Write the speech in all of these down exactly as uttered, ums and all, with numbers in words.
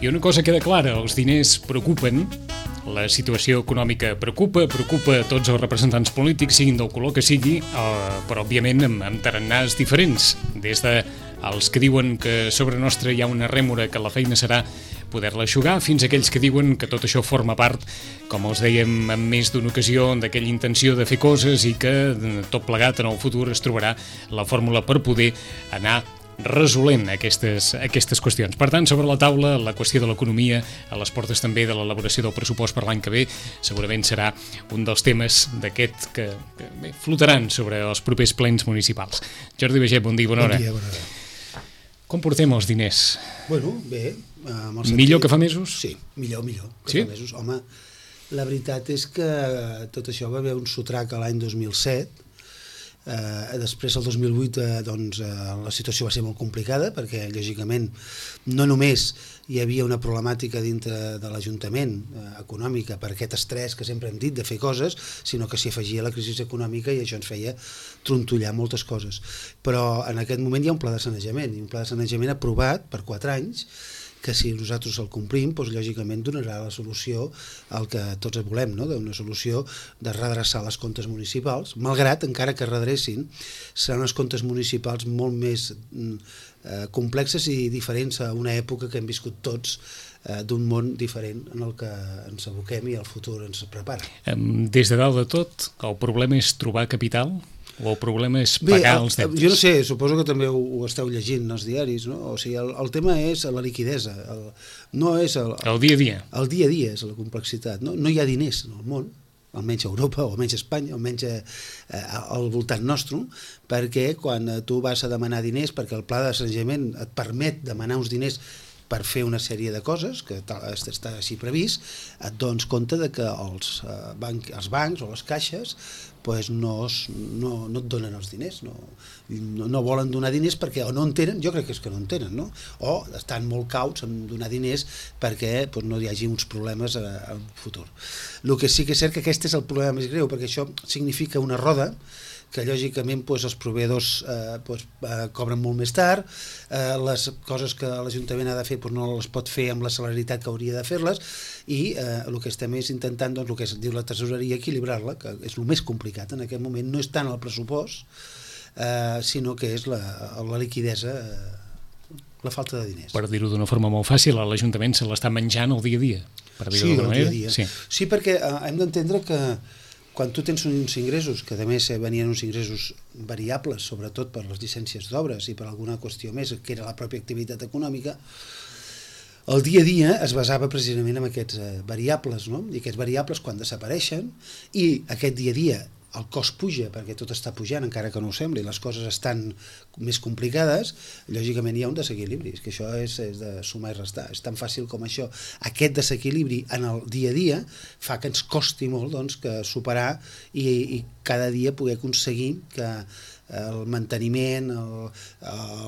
I una cosa queda clara, els diners preocupen, la situació econòmica preocupa, preocupa a tots els representants polítics, siguin del color que sigui, eh, però òbviament amb, amb tarannàs diferents, des de els que diuen que sobre nostra hi ha una rèmora que la feina serà poder-la eixugar, fins a aquells que diuen que tot això forma part, com els dèiem en més d'una ocasió, d'aquella intenció de fer coses i que tot plegat en el futur es trobarà la fórmula per poder anar resolent aquestes, aquestes qüestions. Per tant, sobre la taula, la qüestió de l'economia, a les portes també de l'elaboració del pressupost per l'any que ve, segurament serà un dels temes d'aquest que, que bé, flotaran sobre els propers plens municipals. Jordi Baiget, bon dia, bona hora. Bon dia, bona hora. Com portem els diners? Bueno, bé. Amb el sentit... Millor que fa mesos? Sí, millor, millor que sí? fa mesos. Home, la veritat és que tot això va haver un sotrac a l'any dos mil set. Eh, després, el dos mil vuit, eh, doncs, eh, la situació va ser molt complicada perquè, lògicament, no només hi havia una problemàtica dintre de l'Ajuntament eh, econòmica per aquest estrès que sempre hem dit de fer coses, sinó que s'hi afegia la crisi econòmica i això ens feia trontollar moltes coses. Però en aquest moment hi ha un pla de sanejament, i un pla de sanejament aprovat per quatre anys, que si nosaltres el complim, doncs, lògicament donarà la solució al que tots volem, no? Una solució de redreçar les comptes municipals, malgrat, encara que redrecin, seran els comptes municipals molt més eh, complexes i diferents a una època que hem viscut tots eh, d'un món diferent en el que ens aboquem i el futur ens prepara. Des de dalt de tot, el problema és trobar capital? O el problema és pagar Bé, els deutes? Jo no sé, suposo que també ho, ho esteu llegint als diaris, no? O sigui, el, el tema és la liquidesa, el, no és el, el, el dia a dia. El dia a dia és la complexitat, no? No hi ha diners en el món, almenys a Europa, o almenys a Espanya, o almenys a, a, al voltant nostre, perquè quan tu vas a demanar diners, perquè el pla de sanejament et permet demanar uns diners per fer una sèrie de coses, que està així previst, et dones compte de que els, eh, banc, els bancs o les caixes pues no, es, no, no et donen els diners, no, no, no volen donar diners perquè o no en tenen, jo crec que és que no en tenen, no? O estan molt cauts en donar diners perquè pues, no hi hagi uns problemes al futur. El que sí que és cert que aquest és el problema més greu, perquè això significa una roda que lògicament doncs, els proveïdors eh, doncs, eh, cobren molt més tard, eh, les coses que l'Ajuntament ha de fer doncs, no les pot fer amb la celeritat que hauria de fer-les i eh, el que estem és intentant, doncs, el que es diu la tresoreria, equilibrar-la, que és el més complicat en aquest moment, no és tant el pressupost, eh, sinó que és la, la liquidesa, eh, la falta de diners. Per dir-ho d'una forma molt fàcil, l'Ajuntament se l'està menjant el dia a dia. Per dir-ho sí, d'alguna el dia manera. a dia. Sí. sí, perquè eh, hem d'entendre que quan tu tens uns ingressos, que a més venien uns ingressos variables, sobretot per les llicències d'obres i per alguna qüestió més, que era la pròpia activitat econòmica, el dia a dia es basava precisament en aquests eh, variables, no? I aquests variables quan desapareixen i aquest dia a dia el cost puja, perquè tot està pujant, encara que no ho sembli, les coses estan més complicades, lògicament hi ha un desequilibri, és que això és, és de sumar i restar, és tan fàcil com això. Aquest desequilibri en el dia a dia fa que ens costi molt doncs, que superar i, i cada dia poder aconseguir que el manteniment, el,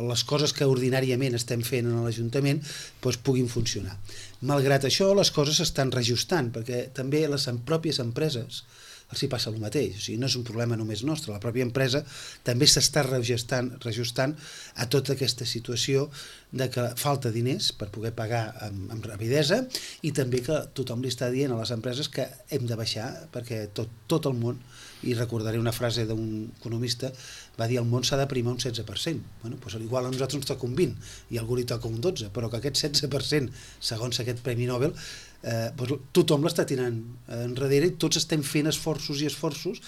les coses que ordinàriament estem fent en l'Ajuntament doncs, puguin funcionar. Malgrat això, les coses s'estan reajustant, perquè també les pròpies empreses els hi passa el mateix, o sigui, no és un problema només nostre, la pròpia empresa també s'està reajustant, reajustant a tota aquesta situació de que falta diners per poder pagar amb, amb rapidesa i també que tothom li està dient a les empreses que hem de baixar perquè tot, tot el món, i recordaré una frase d'un economista, va dir el món s'ha de primar un setze per cent. Bueno, doncs igual a nosaltres ens toca un vint i a algú li toca un dotze, però que aquest setze per cent, segons aquest Premi Nobel, eh, doncs tothom l'està tirant enrere i tots estem fent esforços i esforços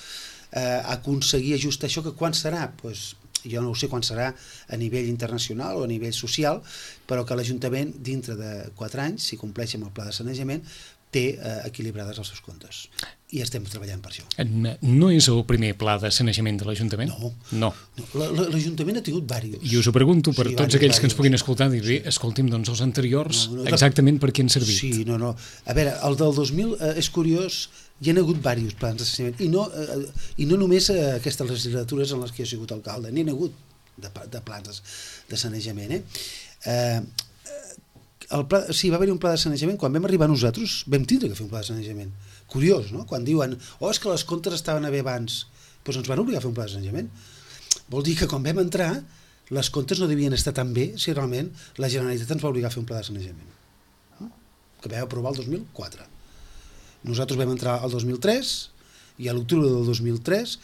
eh, a aconseguir ajustar això, que quan serà? Doncs jo no ho sé quan serà a nivell internacional o a nivell social, però que l'Ajuntament dintre de quatre anys, si compleix amb el pla de sanejament, té eh, equilibrades els seus comptes. I estem treballant per això. No és el primer pla de sanejament de l'Ajuntament? No. no. no. L'Ajuntament ha tingut diversos. I us ho pregunto per sí, tots diversos, aquells que ens puguin diversos. escoltar, dir, bé, escolti'm, doncs els anteriors, no, no, exactament per què han servit? Sí, no, no. A veure, el del dos mil eh, és curiós, hi ha hagut diversos plans de sanejament, i no, eh, i no només eh, aquestes legislatures en les que he sigut alcalde, n'hi ha hagut de, de plans de sanejament. Eh? Eh, el pla, sí, va haver un pla de sanejament, quan vam arribar nosaltres vam tindre que fer un pla de sanejament. Curiós, no? Quan diuen, oh, és que les comptes estaven bé abans, doncs ens van obligar a fer un pla de sanejament. Vol dir que quan vam entrar, les comptes no devien estar tan bé si realment la Generalitat ens va obligar a fer un pla de sanejament. que vam aprovar el dos mil quatre. Nosaltres vam entrar al dos mil tres i a l'octubre del dos mil tres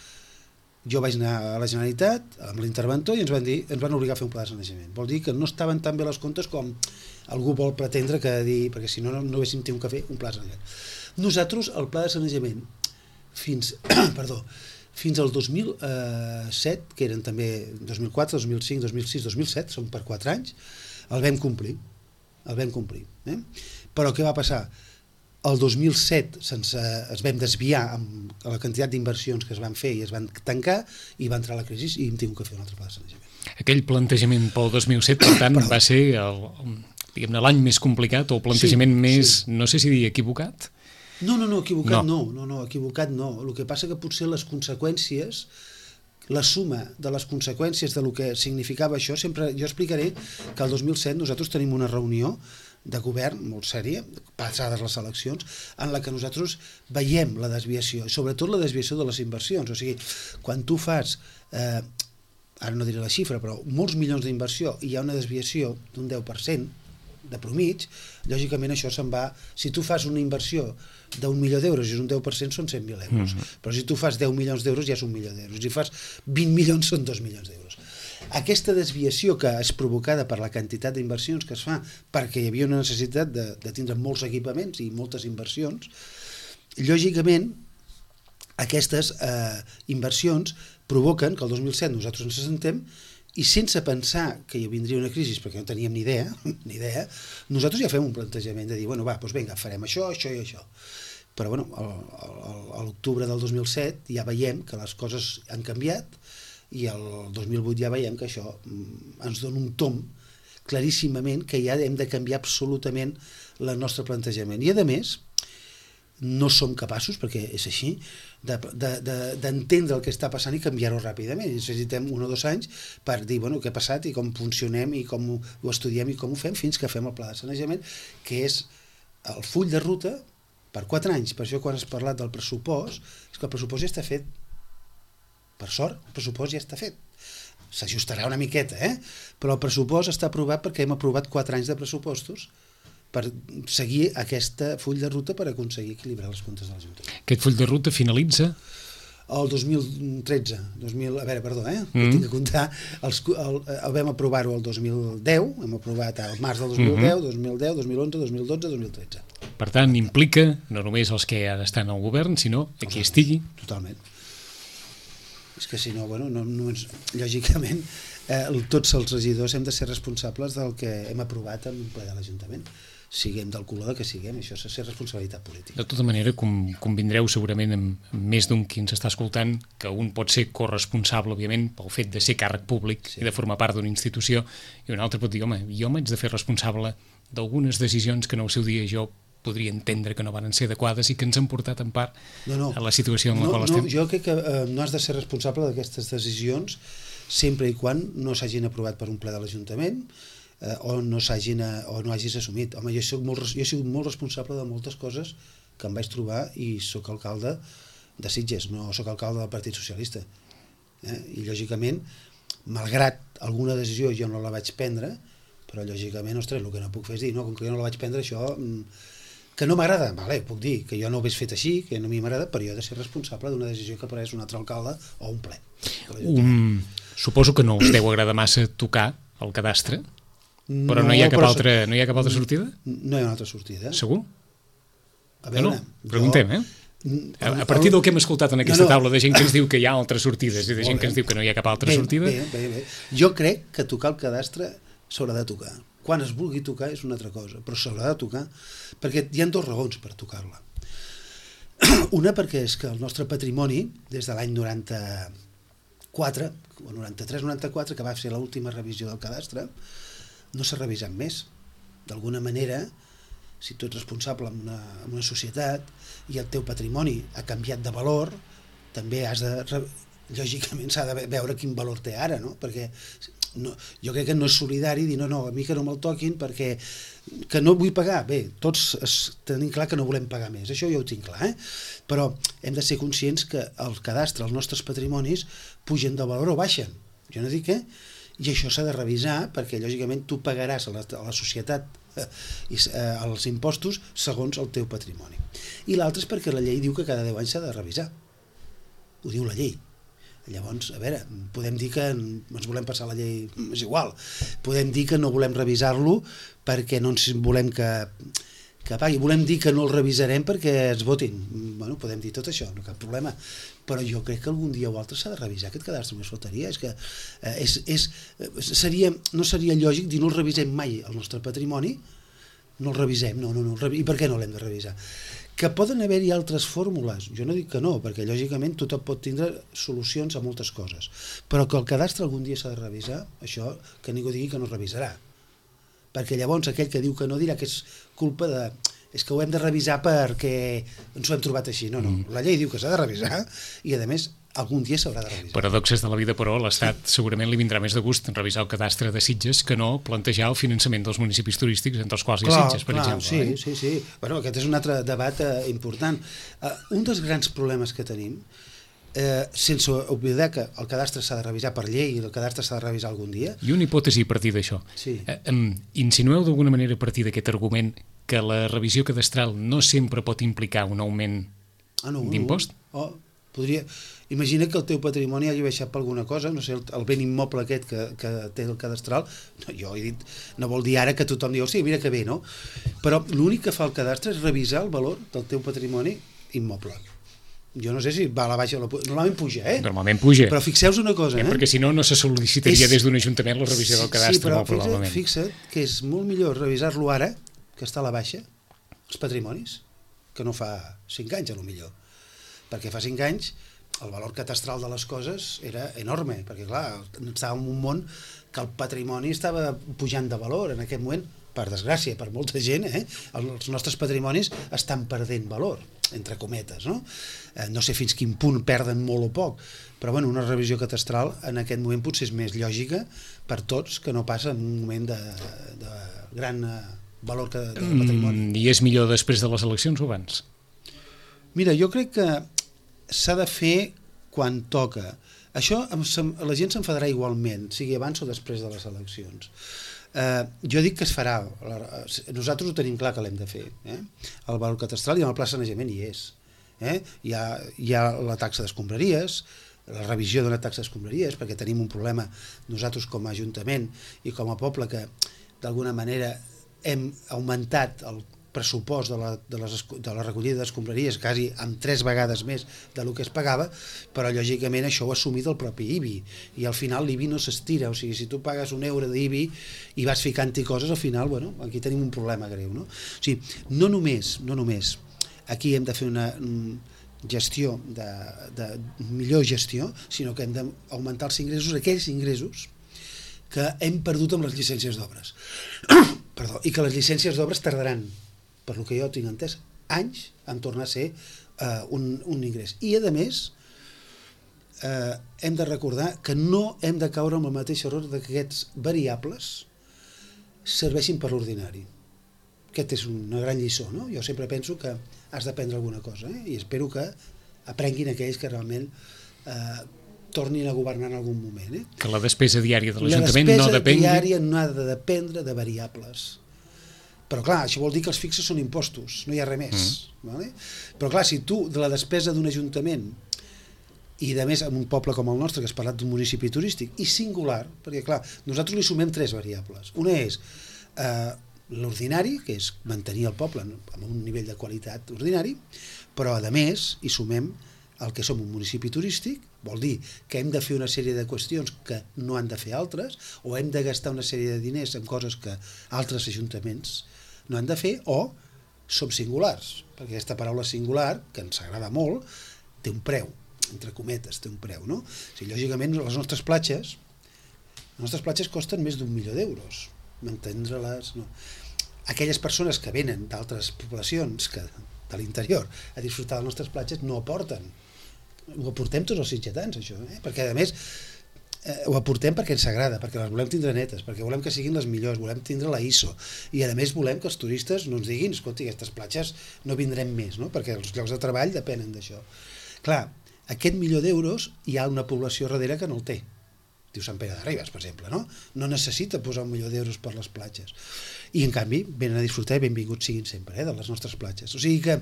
jo vaig anar a la Generalitat amb l'interventor i ens van dir, ens van obligar a fer un pla de sanejament. Vol dir que no estaven tan bé les comptes com algú vol pretendre que dir, perquè si no, no, no haguéssim tingut que fer un pla de sanejament. Nosaltres, el pla de sanejament, fins, perdó, fins al dos mil set, que eren també dos mil quatre, dos mil cinc, dos mil sis, dos mil set, són per quatre anys, el vam complir. El vam complir. Eh? Però què va passar? El dos mil set sense, es vam desviar amb la quantitat d'inversions que es van fer i es van tancar i va entrar la crisi i hem tingut que fer un altre pla de sanejament. Aquell plantejament pel dos mil set, per tant, va ser el, diguem-ne, l'any més complicat o el plantejament sí, més, sí. no sé si dir equivocat? No, no, no, equivocat no. no, no, no, equivocat no. El que passa que potser les conseqüències, la suma de les conseqüències de lo que significava això, sempre jo explicaré que el dos mil set nosaltres tenim una reunió de govern molt sèria, passades les eleccions, en la que nosaltres veiem la desviació, sobretot la desviació de les inversions. O sigui, quan tu fas, eh, ara no diré la xifra, però molts milions d'inversió i hi ha una desviació d'un deu per cent de promig, lògicament això se'n va... Si tu fas una inversió d'un milió d'euros i és un deu per cent són cent mil euros, mm-hmm. però si tu fas deu milions d'euros ja és un milió d'euros, si fas vint milions són dos milions d'euros. Aquesta desviació que és provocada per la quantitat d'inversions que es fa perquè hi havia una necessitat de, de tindre molts equipaments i moltes inversions, lògicament aquestes eh, inversions provoquen que el dos mil set nosaltres ens assentem i sense pensar que hi vindria una crisi, perquè no teníem ni idea, ni idea, nosaltres ja fem un plantejament de dir, bueno, va, doncs vinga, farem això, això i això. Però bueno, a l'octubre del dos mil set ja veiem que les coses han canviat i el dos mil vuit ja veiem que això ens dona un tom claríssimament que ja hem de canviar absolutament el nostre plantejament. I a més, no som capaços, perquè és així, d'entendre de, de, de, el que està passant i canviar-ho ràpidament. Necessitem un o dos anys per dir bueno, què ha passat i com funcionem i com ho, ho estudiem i com ho fem fins que fem el pla de sanejament, que és el full de ruta per quatre anys. Per això quan has parlat del pressupost, és que el pressupost ja està fet. Per sort, el pressupost ja està fet. S'ajustarà una miqueta, eh? Però el pressupost està aprovat perquè hem aprovat quatre anys de pressupostos per seguir aquesta full de ruta per aconseguir equilibrar els comptes de l'Ajuntament. Aquest full de ruta finalitza? El dos mil tretze. dos mil, a veure, perdó, eh? Mm. Tinc que comptar. Els, el, el vam aprovar-ho el dos mil deu, hem aprovat el març del dos mil deu, mm-hmm. dos mil deu, dos mil onze, dos mil dotze, dos mil tretze. Per tant, implica no només els que ara estan al govern, sinó a qui estigui. Totalment. És que si no, bueno, no, no ens, lògicament, eh, tots els regidors hem de ser responsables del que hem aprovat en un ple de l'Ajuntament. Siguem del color que siguem, això és ser responsabilitat política. De tota manera, com, convindreu segurament amb, amb més d'un qui ens està escoltant, que un pot ser corresponsable, òbviament, pel fet de ser càrrec públic sí. i de formar part d'una institució, i un altre pot dir, home, jo m'haig de fer responsable d'algunes decisions que en el seu dia jo podria entendre que no van ser adequades i que ens han portat en part no, no. a la situació en la no, qual no, estem. Jo crec que eh, no has de ser responsable d'aquestes decisions sempre i quan no s'hagin aprovat per un ple de l'Ajuntament eh, o, no s'hagin, o no hagis assumit. Home, jo, soc molt, jo he sigut molt responsable de moltes coses que em vaig trobar i sóc alcalde de Sitges, no sóc alcalde del Partit Socialista. Eh? I lògicament, malgrat alguna decisió jo no la vaig prendre, però lògicament, ostres, el que no puc fer és dir, no, com que jo no la vaig prendre, això... que no m'agrada, vale, puc dir que jo no ho hagués fet així, que no a mi m'agrada, però jo he de ser responsable d'una decisió que pres un altre alcalde o un ple. Um, suposo que no us deu agradar massa tocar el cadastre, però no, no, hi, ha cap però... altra, no hi ha cap altra sortida? No hi ha una altra sortida. Segur? A veure, no, no. Preguntem, jo... eh? A, a partir del que hem escoltat en aquesta no, no. taula de gent que ens diu que hi ha altres sortides i de gent que ens diu que no hi ha cap altra bé, sortida... Bé, bé, bé. Jo crec que tocar el cadastre s'haurà de tocar. Quan es vulgui tocar és una altra cosa, però s'haurà de tocar, perquè hi ha dues raons per tocar-la. Una perquè és que el nostre patrimoni, des de l'any noranta-quatre, o noranta-tres noranta-quatre, que va ser l'última revisió del cadastre, no s'ha revisat més. D'alguna manera, si tu ets responsable en una, en una societat i el teu patrimoni ha canviat de valor, també has de... lògicament s'ha de veure quin valor té ara, no? Perquè no, jo crec que no és solidari dir no, no, a mi que no me'l toquin perquè que no vull pagar. Bé, tots es, tenim clar que no volem pagar més, això ja ho tinc clar, eh? Però hem de ser conscients que el cadastre, els nostres patrimonis, pugen de valor o baixen. Jo no dic què? I això s'ha de revisar perquè, lògicament, tu pagaràs a la, a la societat i, eh, els impostos segons el teu patrimoni. I l'altre és perquè la llei diu que cada deu anys s'ha de revisar. Ho diu la llei. Llavors, a veure, podem dir que ens volem passar la llei, és igual, podem dir que no volem revisar-lo perquè no ens volem que, que pagui, volem dir que no el revisarem perquè es votin, bueno, podem dir tot això, no cap problema, però jo crec que algun dia o altre s'ha de revisar aquest cadastre, només faltaria, és que eh, és, és, seria, no seria lògic dir no el revisem mai el nostre patrimoni, no el revisem, no, no, no, i per què no l'hem de revisar? Que poden haver-hi altres fórmules, jo no dic que no, perquè lògicament tothom pot tindre solucions a moltes coses, però que el cadastre algun dia s'ha de revisar, això que ningú digui que no es revisarà, perquè llavors aquell que diu que no dirà que és culpa de... és que ho hem de revisar perquè ens ho hem trobat així, no, no, la llei diu que s'ha de revisar i a més algun dia s'haurà de revisar. Paradoxes de la vida, però, a l'Estat segurament li vindrà més de gust revisar el cadastre de Sitges que no plantejar el finançament dels municipis turístics, entre els quals hi ha Sitges, per clar, exemple. Sí, eh? sí, sí. Bueno, aquest és un altre debat eh, important. Uh, un dels grans problemes que tenim, eh, sense oblidar que el cadastre s'ha de revisar per llei i el cadastre s'ha de revisar algun dia... I una hipòtesi a partir d'això. Sí. Eh, um, insinueu d'alguna manera a partir d'aquest argument que la revisió cadastral no sempre pot implicar un augment ah, no, d'impost? No. Oh, podria... Imagina que el teu patrimoni hagi baixat per alguna cosa, no sé, el, el ben immoble aquest que, que té el cadastral, no, jo he dit, no vol dir ara que tothom diu, sí, mira que bé, no? Però l'únic que fa el cadastre és revisar el valor del teu patrimoni immoble. Jo no sé si va a la baixa o la puja, normalment puja, eh? Normalment puja. Però fixeu-vos una cosa, eh? eh? Perquè si no, no se sol·licitaria és... des d'un ajuntament la revisió del cadastre, sí, però molt probablement. fixa't, fixa't que és molt millor revisar-lo ara, que està a la baixa, els patrimonis, que no fa cinc anys, a lo millor. Perquè fa cinc anys el valor catastral de les coses era enorme, perquè clar, estàvem en un món que el patrimoni estava pujant de valor en aquest moment, per desgràcia, per molta gent, eh? Els nostres patrimonis estan perdent valor, entre cometes, no? Eh, no sé fins quin punt perden molt o poc, però bueno, una revisió catastral en aquest moment potser és més lògica per tots que no passa en un moment de, de gran valor que, del patrimoni. Mm, I és millor després de les eleccions o abans? Mira, jo crec que s'ha de fer quan toca. Això la gent s'enfadarà igualment, sigui abans o després de les eleccions. Eh, jo dic que es farà, nosaltres ho tenim clar que l'hem de fer, eh? El valor catastral i en el pla de sanejament hi és. Eh? Hi ha, hi ha la taxa d'escombraries, la revisió d'una taxa d'escombraries, perquè tenim un problema nosaltres com a Ajuntament i com a poble que d'alguna manera hem augmentat el pressupost de la, de, les, de la recollida d'escombraries quasi amb tres vegades més del que es pagava, però lògicament això ho ha assumit el propi I B I i al final l'I B I no s'estira, o sigui, si tu pagues un euro d'I B I i vas ficant-hi coses, al final, bueno, aquí tenim un problema greu, no? O sigui, no només, no només aquí hem de fer una gestió de, de millor gestió, sinó que hem d'augmentar els ingressos, aquells ingressos que hem perdut amb les llicències d'obres. Perdó, i que les llicències d'obres tardaran, per lo que jo tinc entès, anys en tornar a ser uh, un, un ingrés. I, a més, uh, hem de recordar que no hem de caure en el mateix error que aquests variables serveixin per l'ordinari. Aquest és una gran lliçó, no? Jo sempre penso que has d'aprendre alguna cosa, eh? I espero que aprenguin aquells que realment eh, tornin a governar en algun moment. Eh? Que la despesa diària de l'Ajuntament no depengui... La despesa diària no ha de dependre de variables. Però clar, això vol dir que els fixes són impostos, no hi ha res més. Mm. Vale? Però clar, si tu de la despesa d'un ajuntament i de més en un poble com el nostre, que has parlat d'un municipi turístic, i singular, perquè clar, nosaltres li sumem tres variables. Una és eh, l'ordinari, que és mantenir el poble amb un nivell de qualitat ordinari, però a més hi sumem el que som un municipi turístic, vol dir que hem de fer una sèrie de qüestions que no han de fer altres, o hem de gastar una sèrie de diners en coses que altres ajuntaments no han de fer, o som singulars, perquè aquesta paraula singular, que ens agrada molt, té un preu, entre cometes, té un preu, no? O sigui, lògicament, les nostres platges, les nostres platges costen més d'un milió d'euros, mantindre-les, no? Aquelles persones que venen d'altres poblacions que de l'interior a disfrutar de les nostres platges no aporten. Ho aportem tots els sitgetans, això, eh? Perquè a més eh, ho aportem perquè ens agrada, perquè les volem tindre netes, perquè volem que siguin les millors, volem tindre la I S O, i a més volem que els turistes no ens diguin, escolti, aquestes platges no vindrem més, no? Perquè els llocs de treball depenen d'això. Clar, aquest milió d'euros hi ha una població darrere que no el té. Diu Sant Pere de Ribes, per exemple, no? No necessita posar un milió d'euros per les platges. i en canvi venen a disfrutar i benvinguts siguin sempre eh, de les nostres platges. O sigui que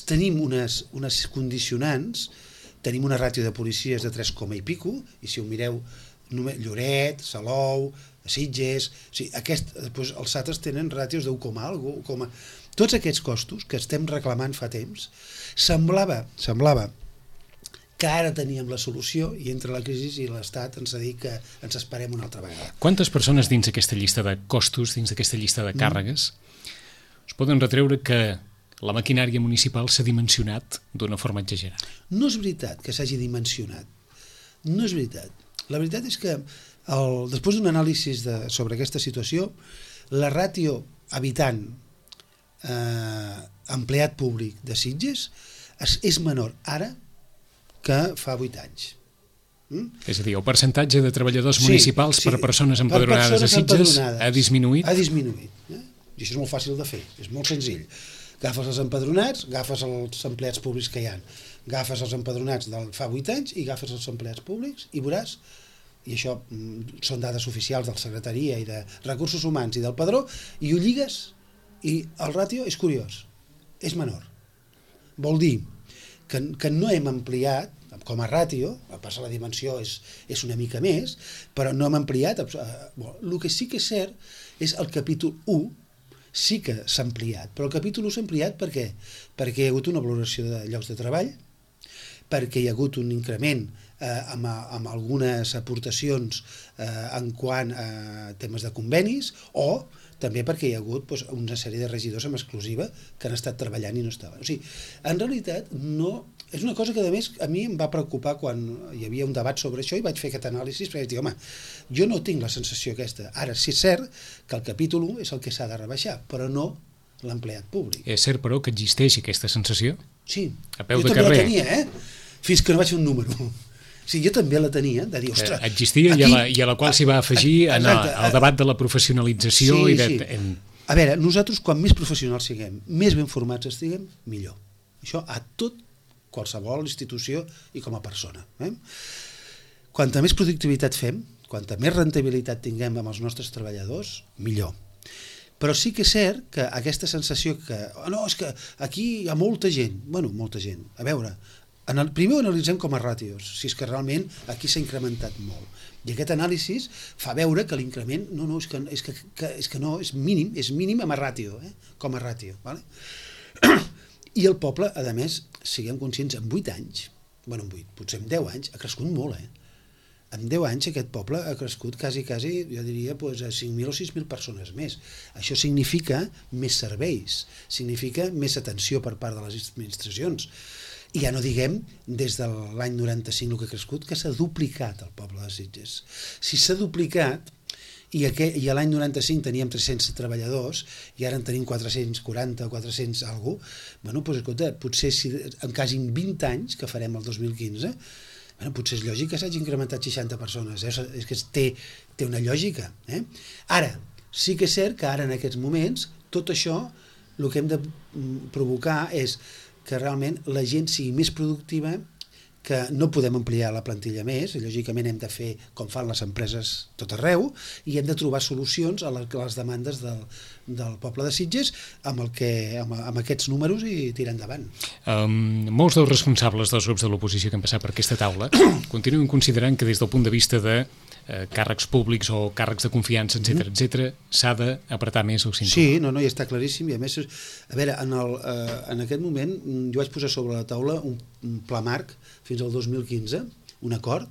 tenim unes, unes condicionants, tenim una ràtio de policies de tres coma i pico, i si ho mireu, Lloret, Salou, Sitges, o sigui, aquest, doncs els altres tenen ràtios d'un coma algo, coma... Tots aquests costos que estem reclamant fa temps, semblava, semblava que ara teníem la solució i entre la crisi i l'Estat ens ha dit que ens esperem una altra vegada. Quantes persones dins aquesta llista de costos, dins d'aquesta llista de càrregues, mm. us poden retreure que la maquinària municipal s'ha dimensionat d'una forma exagerada? No és veritat que s'hagi dimensionat. No és veritat. La veritat és que el, després d'un anàlisi de, sobre aquesta situació, la ràtio habitant eh, empleat públic de Sitges és, és menor ara que fa vuit anys. Mm? És a dir, el percentatge de treballadors sí, municipals sí, per persones empadronades a Sitges ha disminuït? Ha disminuït. Eh? I això és molt fàcil de fer, és molt senzill. Agafes els empadronats, agafes els empleats públics que hi ha, agafes els empadronats del fa vuit anys i agafes els empleats públics i veuràs, i això mm, són dades oficials de la Secretaria i de Recursos Humans i del Padró, i ho lligues i el ràtio és curiós, és menor. Vol dir que, que no hem ampliat com a ràtio, a passar la dimensió és, és una mica més, però no hem ampliat. Eh, bueno, el que sí que és cert és el capítol u, sí que s'ha ampliat, però el capítol u s'ha ampliat per què? Perquè hi ha hagut una valoració de llocs de treball, perquè hi ha hagut un increment eh, amb, amb algunes aportacions eh, en quant a temes de convenis, o també perquè hi ha hagut doncs, una sèrie de regidors amb exclusiva que han estat treballant i no estaven. O sigui, en realitat, no, és una cosa que a més a mi em va preocupar quan hi havia un debat sobre això i vaig fer aquest anàlisi, perquè vaig dir, home, jo no tinc la sensació aquesta. Ara, sí és cert que el capítol u és el que s'ha de rebaixar, però no l'empleat públic. És cert, però, que existeix aquesta sensació? Sí, a peu jo de també carrer. La tenia, eh? Fins que no vaig fer un número. Sí, jo també la tenia, de dir, ostres... Eh, existia aquí, i, a la, i a la qual s'hi va afegir en el, el debat de la professionalització. Sí, i de, sí. En... A veure, nosaltres, quan més professionals siguem, més ben formats estiguem, millor. Això a tot, qualsevol institució i com a persona. Eh? Quanta més productivitat fem, quanta més rendibilitat tinguem amb els nostres treballadors, millor. Però sí que és cert que aquesta sensació que, oh, no, és que aquí hi ha molta gent, bueno, molta gent, a veure, en el, primer ho analitzem com a ràtios, si és que realment aquí s'ha incrementat molt. I aquest anàlisi fa veure que l'increment, no, no, és que, és que, que, és que no, és mínim, és mínim amb a ràtio, eh? Com a ràtio. Vale? I el poble, a més, siguem conscients, en vuit anys, bueno, en vuit, potser en deu anys, ha crescut molt, eh? En deu anys aquest poble ha crescut quasi, quasi, jo diria, doncs, a cinc mil o sis mil persones més. Això significa més serveis, significa més atenció per part de les administracions. I ja no diguem, des de l'any noranta-cinc el que ha crescut, que s'ha duplicat el poble de Sitges. Si s'ha duplicat, i, aqu i l'any noranta-cinc teníem tres-cents treballadors, i ara en tenim quatre-cents quaranta o quatre-cents alguna cosa, bueno, doncs, escolta, potser si, en quasi vint anys, que farem el dos mil quinze, bueno, potser és lògic que s'hagi incrementat seixanta persones, eh? És que té, té una lògica. Eh? Ara, sí que és cert que ara en aquests moments, tot això, el que hem de provocar és que realment la gent sigui més productiva, que no podem ampliar la plantilla més, i lògicament hem de fer com fan les empreses tot arreu, i hem de trobar solucions a les demandes del, del poble de Sitges amb, el que, amb, amb aquests números i tirar endavant. Um, molts dels responsables dels grups de l'oposició que han passat per aquesta taula continuen considerant que des del punt de vista de eh, càrrecs públics o càrrecs de confiança, etcètera, mm. etcètera, s'ha d'apretar més el cinturó. Sí, no, no, ja està claríssim, i a més, a veure, en, el, eh, en aquest moment jo vaig posar sobre la taula un, un pla marc fins al dos mil quinze, un acord,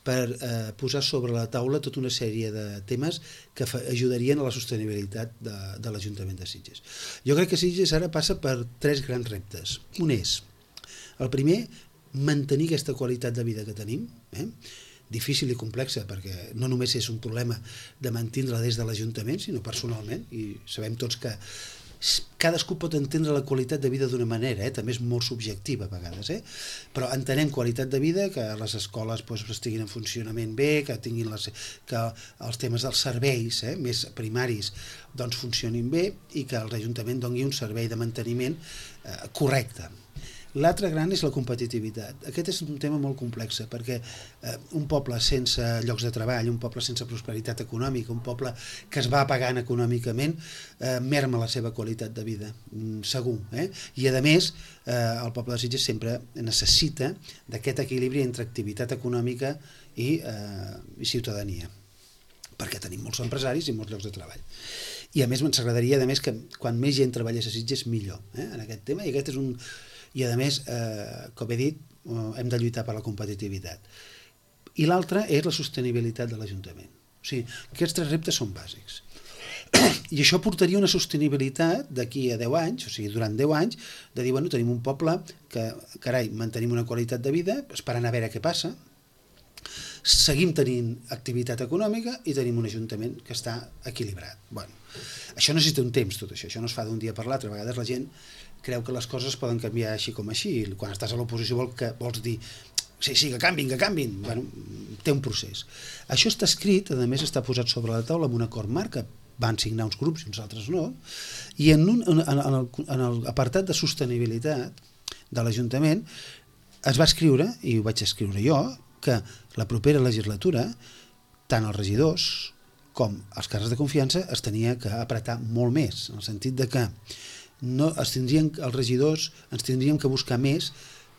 per eh, posar sobre la taula tota una sèrie de temes que ajudarien a la sostenibilitat de, de l'Ajuntament de Sitges. Jo crec que Sitges ara passa per tres grans reptes. Un és, el primer, mantenir aquesta qualitat de vida que tenim, eh? Difícil i complexa, perquè no només és un problema de mantenir-la des de l'Ajuntament, sinó personalment, i sabem tots que cadascú pot entendre la qualitat de vida d'una manera, eh? També és molt subjectiva a vegades, eh? Però entenem qualitat de vida, que les escoles doncs, estiguin en funcionament bé, que tinguin les, que els temes dels serveis eh? més primaris doncs, funcionin bé i que l'Ajuntament doni un servei de manteniment eh, correcte. L'altre gran és la competitivitat. Aquest és un tema molt complex, perquè eh, un poble sense llocs de treball, un poble sense prosperitat econòmica, un poble que es va apagant econòmicament, eh, merma la seva qualitat de vida, mm, segur. Eh? I a més, eh, el poble de Sitges sempre necessita d'aquest equilibri entre activitat econòmica i, eh, i ciutadania, perquè tenim molts empresaris i molts llocs de treball. I a més ens agradaria a més, que quan més gent treballés a Sitges millor, eh, en aquest tema, i aquest és un... I a més, eh, com he dit, eh, hem de lluitar per la competitivitat. I l'altre és la sostenibilitat de l'Ajuntament. O sigui, aquests tres reptes són bàsics. I això portaria una sostenibilitat d'aquí a deu anys, o sigui, durant deu anys, de dir, bueno, tenim un poble que, carai, mantenim una qualitat de vida, esperant a veure què passa, seguim tenint activitat econòmica i tenim un ajuntament que està equilibrat. Bueno, això necessita un temps, tot això, això no es fa d'un dia per l'altre. A vegades la gent creu que les coses poden canviar així com així, i quan estàs a l'oposició vol que, vols dir sí, sí, que canvin, que canvin. Bueno, té un procés. Això està escrit, a més està posat sobre la taula amb un acord marc que van signar uns grups i uns altres no, i en, un, en, en, el, en l'apartat de sostenibilitat de l'Ajuntament es va escriure, i ho vaig escriure jo, que la propera legislatura tant els regidors com els càrrecs de confiança es tenia que apretar molt més, en el sentit de que no, es tindrien, els regidors ens tindríem que buscar més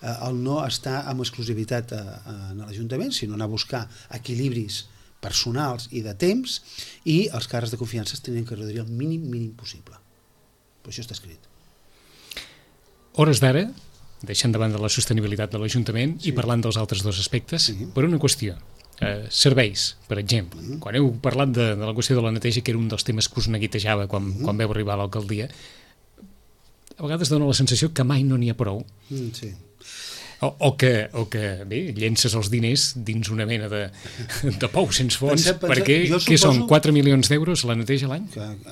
eh, el no estar amb exclusivitat a, a, en l'Ajuntament, sinó anar a buscar equilibris personals i de temps, i els càrrecs de confiança es tindrien que reduir el mínim mínim possible. Però això està escrit. Hores d'ara, deixant de banda la sostenibilitat de l'Ajuntament sí. i parlant dels altres dos aspectes, sí. per una qüestió. Eh, serveis, per exemple. Mm. Quan heu parlat de, de la qüestió de la neteja, que era un dels temes que us neguitejava quan, mm. quan veu arribar a l'alcaldia, a vegades dona la sensació que mai no n'hi ha prou. Mm, sí. O, o, que, o que, bé, llences els diners dins una mena de, de pou sense fons, penseu, penseu, perquè suposo... què són, quatre milions d'euros la neteja a l'any?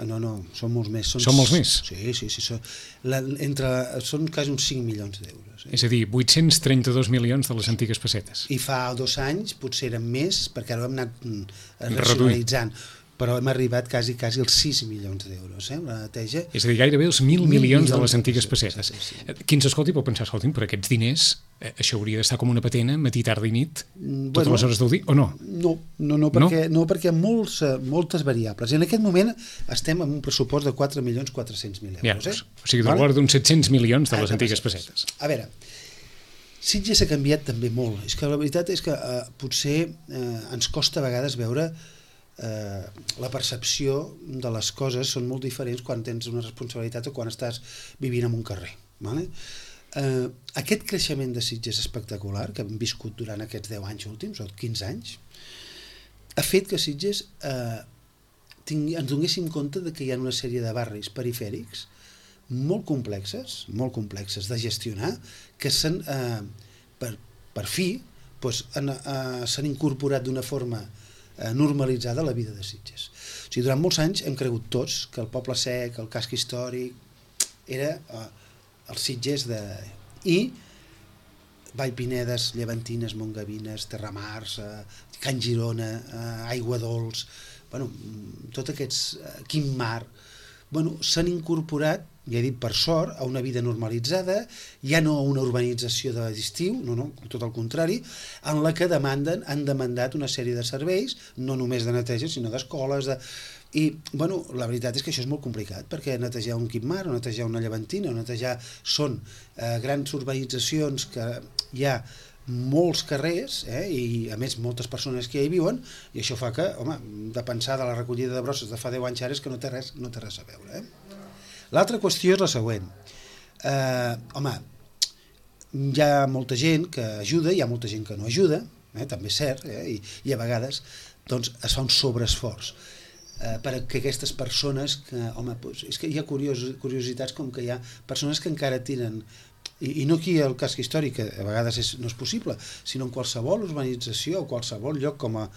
No, no, són molts més. Són, són molts més? Sí, sí, sí. Són, la, entre, són quasi uns cinc milions d'euros. Eh? És a dir, vuit-cents trenta-dos milions de les antigues pessetes. I fa dos anys potser eren més, perquè ara ho hem anat racionalitzant. Però hem arribat quasi, quasi als sis milions d'euros, eh, la neteja. És a dir, gairebé els mil milions de les antigues pessetes. Sí, sí. Qui ens escolti pot pensar, escolti'm, per aquests diners, eh, això hauria d'estar com una patena, matí, tarda i nit, totes bueno, les hores del dia, o no? No, no, no perquè, no? No, perquè hi ha molts, moltes variables. I en aquest moment estem en un pressupost de quatre milions quatre-cents mil euros. Ja, eh? O sigui, de l'ordre d'uns set-cents milions de les ah, antigues pessetes. A veure, Sitges ha canviat també molt. És que la veritat és que eh, potser eh, ens costa a vegades veure Eh, la percepció de les coses són molt diferents quan tens una responsabilitat o quan estàs vivint en un carrer, vale? eh, aquest creixement de Sitges espectacular que hem viscut durant aquests deu anys últims o quinze anys ha fet que Sitges eh, tingui, ens donéssim compte de que hi ha una sèrie de barris perifèrics molt complexes molt complexes de gestionar que s'han eh, per, per fi doncs, han, eh, s'han incorporat d'una forma normalitzada la vida de Sitges. O sigui, durant molts anys hem cregut tots que el Poble Sec, el casc històric, era eh, el Sitges de... I Vallpinedes, Llevantines, Montgavines, Terramars, eh, Can Girona, eh, Aigua Dols, bueno, tots aquests... Eh, Quim Mar... Bueno, s'han incorporat, ja he dit per sort, a una vida normalitzada, ja no a una urbanització d'estiu, no, no, tot el contrari, en la que demanden, han demandat una sèrie de serveis, no només de neteja, sinó d'escoles, de... i, bueno, la veritat és que això és molt complicat, perquè netejar un Quimar, o netejar una Llevantina, o netejar són eh, grans urbanitzacions que hi ha molts carrers, eh, i a més moltes persones que hi viuen, i això fa que, home, de pensar de la recollida de brosses de fa deu anys ara és que no té res, no té res a veure. Eh? L'altra qüestió és la següent. Eh, home, hi ha molta gent que ajuda, hi ha molta gent que no ajuda, eh, també és cert, eh, i, i a vegades doncs, es fa un sobreesforç eh, perquè aquestes persones que, home, doncs, és que hi ha curios, curiositats com que hi ha persones que encara tiren I, i no aquí el casc històric, que a vegades és, no és possible, sinó en qualsevol urbanització o qualsevol lloc com a,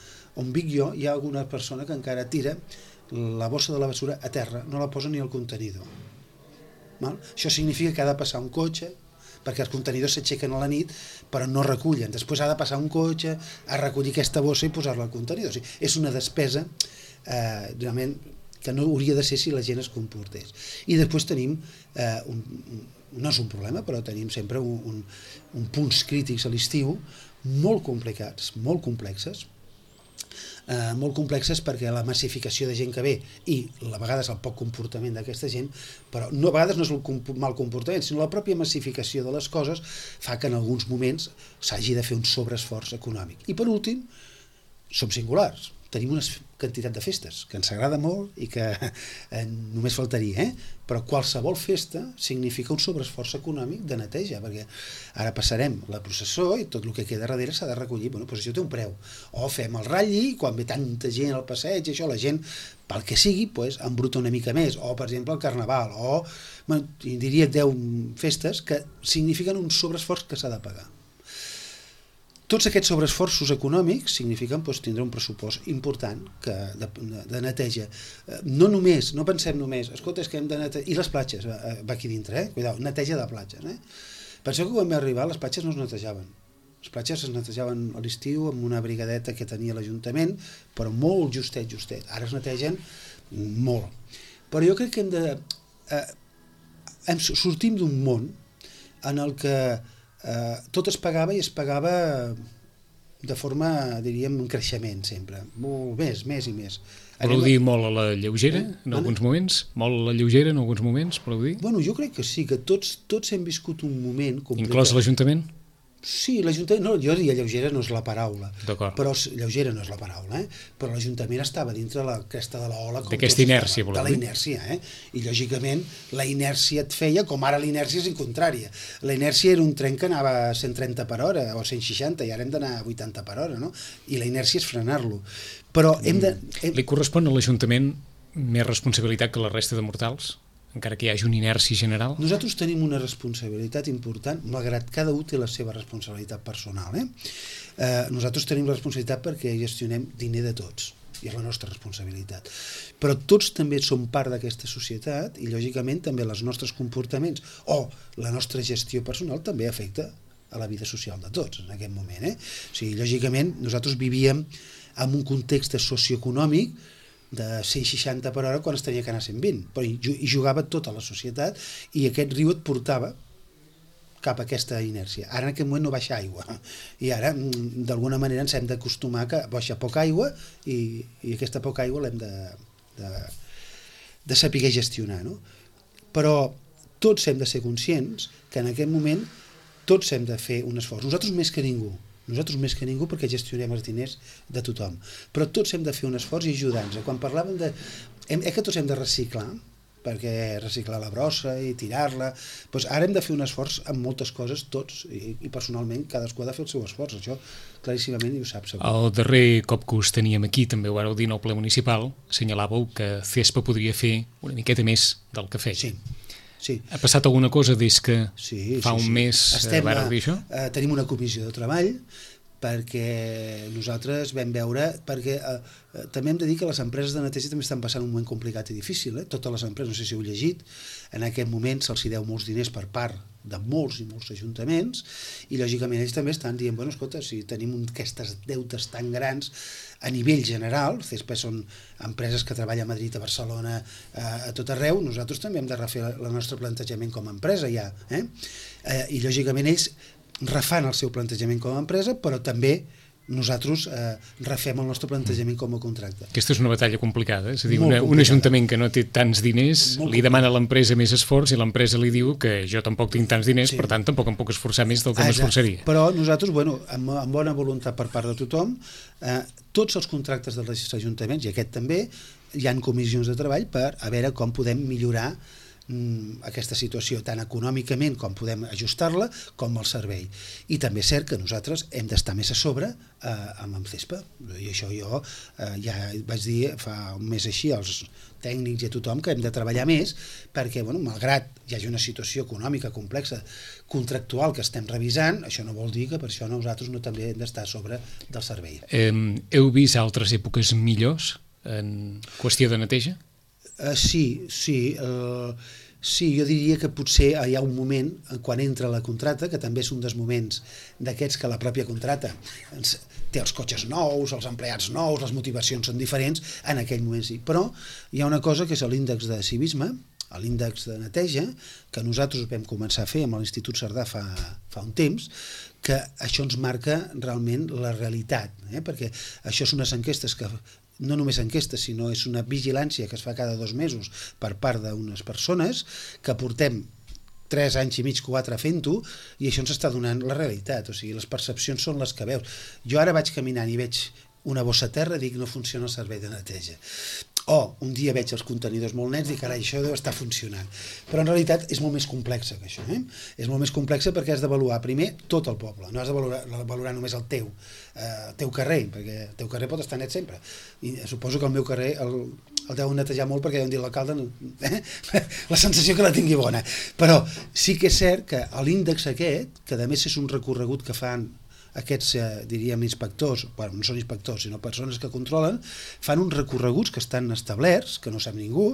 on vic jo, hi ha alguna persona que encara tira la bossa de la basura a terra, no la posa ni al contenidor. Val? Això significa que ha de passar un cotxe, perquè els contenidors s'aixequen a la nit, però no recullen. Després ha de passar un cotxe a recollir aquesta bossa i posar-la al contenidor. O sigui, és una despesa eh, realment que no hauria de ser si la gent es comportés. I després tenim, eh, un, no és un problema, però tenim sempre un, un, un punts crítics a l'estiu molt complicats, molt complexes, eh, molt complexes perquè la massificació de gent que ve i a vegades el poc comportament d'aquesta gent, però no, a vegades no és el comp mal comportament, sinó la pròpia massificació de les coses fa que en alguns moments s'hagi de fer un sobreesforç econòmic. I per últim, som singulars, tenim una quantitat de festes que ens agrada molt i que eh, només faltaria, eh? Però qualsevol festa significa un sobreesforç econòmic de neteja, perquè ara passarem la processó i tot el que queda darrere s'ha de recollir, bueno, doncs això té un preu, o fem el ratlli, quan ve tanta gent al passeig, això, la gent, pel que sigui, pues, embruta una mica més, o per exemple el carnaval, o bueno, diria deu festes que signifiquen un sobreesforç que s'ha de pagar. Tots aquests sobreesforços econòmics signifiquen doncs, tindre un pressupost important que, de, de neteja. No només, no pensem només, escolta, és que hem de netejar... I les platges, va aquí dintre, eh? Cuidao, neteja de platges. Eh? Penseu que quan vam arribar les platges no es netejaven. Les platges es netejaven a l'estiu amb una brigadeta que tenia l'Ajuntament, però molt justet, justet. Ara es netegen molt. Però jo crec que hem de... Eh, hem, sortim d'un món en el que Uh, tot es pagava i es pagava de forma, diríem, en creixement sempre, molt més, més i més. Podeu dir molt a la lleugera en alguns moments? Molt a la lleugera en alguns moments, podeu dir? Bueno, jo crec que sí, que tots, tots hem viscut un moment complicat. Inclòs l'Ajuntament? Sí, l'Ajuntament, no, jo diria lleugera no és la paraula, però lleugera no és la paraula, eh? Però l'Ajuntament estava dintre la cresta de l'ola. D'aquesta inèrcia, voleu dir? De la inèrcia, eh? I lògicament la inèrcia et feia, com ara l'inèrcia és contrària. La inèrcia era un tren que anava a cent trenta per hora o cent seixanta i ara hem d'anar a vuitanta per hora, no? I la inèrcia és frenar-lo. Però hem de... Hem... Li correspon a l'Ajuntament més responsabilitat que la resta de mortals? Encara que hi hagi una inèrcia general? Nosaltres tenim una responsabilitat important, malgrat cada un té la seva responsabilitat personal. Eh? Eh, nosaltres tenim la responsabilitat perquè gestionem diner de tots, i és la nostra responsabilitat. Però tots també som part d'aquesta societat i, lògicament, també els nostres comportaments o la nostra gestió personal també afecta a la vida social de tots en aquest moment. Eh? O sigui, lògicament, nosaltres vivíem en un context socioeconòmic de cent seixanta per hora quan es tenia que anar a cent vint, però hi jugava tota la societat i aquest riu et portava cap a aquesta inèrcia. Ara en aquest moment no baixa aigua i ara d'alguna manera ens hem d'acostumar que baixa poca aigua i, i aquesta poca aigua l'hem de, de, de saber gestionar, no? Però tots hem de ser conscients que en aquest moment tots hem de fer un esforç, nosaltres més que ningú. Nosaltres més que ningú perquè gestionem els diners de tothom. Però tots hem de fer un esforç i ajudar-nos. Quan parlàvem de... Eh que tots hem de reciclar, perquè reciclar la brossa i tirar-la... Doncs ara hem de fer un esforç amb moltes coses, tots, i, i personalment cadascú ha de fer el seu esforç. Això claríssimament i ho sap segur. El darrer cop que us teníem aquí, també ho vàreu dir en el ple municipal, assenyalàveu que CESPA podria fer una miqueta més del que feia. Sí. Sí. Ha passat alguna cosa des que sí, fa sí, un sí. mes Estem, vàreu dir això? Eh, tenim una comissió de treball perquè nosaltres vam veure, perquè eh, eh, també hem de dir que les empreses de neteja també estan passant un moment complicat i difícil, eh? Totes les empreses, no sé si heu llegit, en aquest moment se'ls deu molts diners per part de molts i molts ajuntaments i lògicament ells també estan dient, bueno, escolta, si tenim aquestes deutes tan grans a nivell general, CESPA són empreses que treballen a Madrid, a Barcelona, a, a tot arreu, nosaltres també hem de refer el nostre plantejament com a empresa ja, eh? Eh, i lògicament ells refan el seu plantejament com a empresa, però també nosaltres eh, refem el nostre plantejament com a contracte. Aquesta és una batalla complicada, és a dir, una, un ajuntament que no té tants diners Molt li demana a l'empresa més esforç i l'empresa li diu que jo tampoc tinc tants diners, sí. Per tant tampoc em puc esforçar més del que m'esforçaria. Però nosaltres, bueno, amb, amb bona voluntat per part de tothom, eh, tots els contractes dels ajuntaments, i aquest també, hi ha comissions de treball per a veure com podem millorar aquesta situació, tant econòmicament com podem ajustar-la, com el servei. I també és cert que nosaltres hem d'estar més a sobre eh, amb el CESPA, i això jo eh, ja vaig dir fa un mes així als tècnics i a tothom que hem de treballar més perquè, bueno, malgrat hi hagi una situació econòmica complexa, contractual que estem revisant, això no vol dir que per això nosaltres no també hem d'estar a sobre del servei. Eh, heu vist altres èpoques millors en qüestió de neteja? Uh, sí, sí, uh, Sí, jo diria que potser hi ha un moment, quan entra la contrata, que també és un dels moments d'aquests que la pròpia contrata ens, té els cotxes nous, els empleats nous, les motivacions són diferents, en aquell moment sí. Però hi ha una cosa que és l'índex de civisme, l'índex de neteja, que nosaltres vam començar a fer amb l'Institut Cerdà fa, fa un temps, que això ens marca realment la realitat, eh? Perquè això és unes enquestes que no només enquestes, sinó és una vigilància que es fa cada dos mesos per part d'unes persones que portem tres anys i mig, quatre fent-ho, i això ens està donant la realitat, o sigui, les percepcions són les que veus. Jo ara vaig caminant i veig una bossa a terra i dic no funciona el servei de neteja. O un dia veig els contenidors molt nets i carai, això deu estar funcionant. Però en realitat és molt més complexa que això. Eh? És molt més complexa perquè has d'avaluar primer tot el poble, no has de valorar, valorar només el teu, eh, el teu carrer, perquè el teu carrer pot estar net sempre. I suposo que el meu carrer el, el deuen netejar molt perquè deuen dir l'alcalde eh? la sensació que la tingui bona. Però sí que és cert que l'índex aquest, que a més és un recorregut que fan aquests, eh, diríem, inspectors, bueno, no són inspectors, sinó persones que controlen, fan uns recorreguts que estan establerts, que no sap ningú,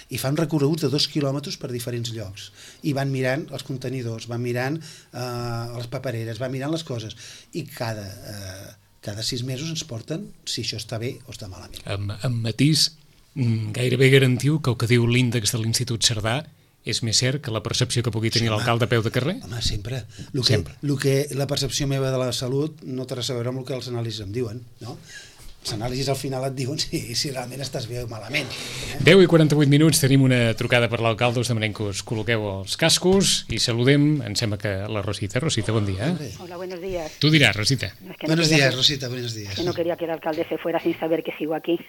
i fan recorreguts de dos quilòmetres per diferents llocs. I van mirant els contenidors, van mirant eh, les papereres, van mirant les coses, i cada, eh, cada sis mesos ens porten si això està bé o està malament. Amb, amb matís, gairebé garantiu que el que diu l'índex de l'Institut Cerdà és més cert que la percepció que pugui tenir sí, l'alcalde a peu de carrer? Home, sempre. Lo que, sempre. Lo que la percepció meva de la salut no té res a veure amb el que els anàlisis em diuen, no? Els anàlisis al final et diuen si, si realment estàs bé o malament. Eh? deu i quaranta-vuit minuts, tenim una trucada per l'alcalde, us demanem que us col·loqueu els cascos i saludem, em sembla que la Rosita. Rosita, bon dia. Eh? Hola, buenos días. Tu diràs, Rosita. No, es que no buenos días, que, Rosita, buenos días. Que no quería que el alcalde se fuera sin saber que sigo aquí.